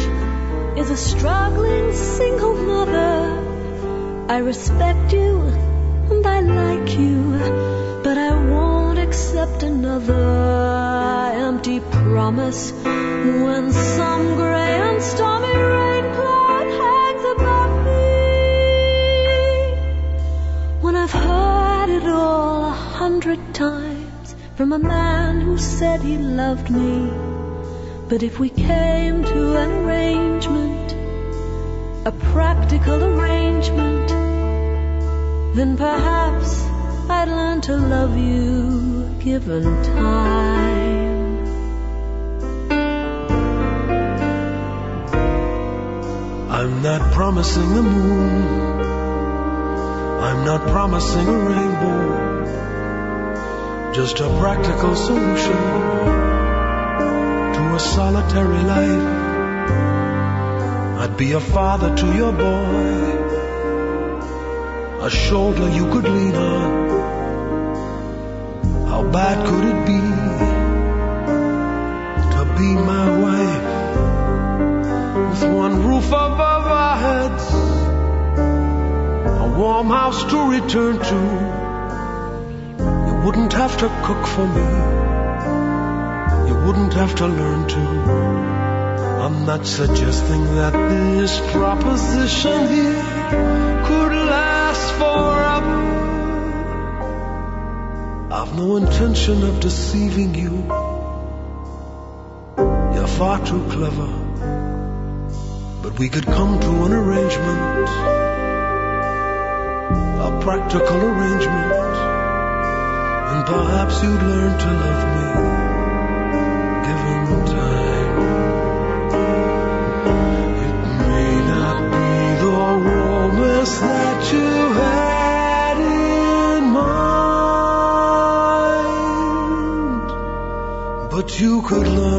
is a struggling single mother? I respect you and I like you, but I won't accept another empty promise when some gray and stormy rain cloud hangs above me. When I've heard it all 100 times from a man who said he loved me, but if we came to an arrangement, a practical arrangement, then perhaps I'd learn to love you, given time. I'm not promising the moon. I'm not promising a rainbow. Just a practical solution to a solitary life. I'd be a father to your boy, a shoulder you could lean on. How bad could it be to be my wife? With one roof above our heads, a warm house to return to. You wouldn't have to cook for me, you wouldn't have to learn to. I'm not suggesting that this proposition here could last forever. I've no intention of deceiving you. Your far too clever, but we could come to an arrangement, a practical arrangement, and perhaps you'd learn to love me, given time. It may not be the romance that you had in mind, but you could learn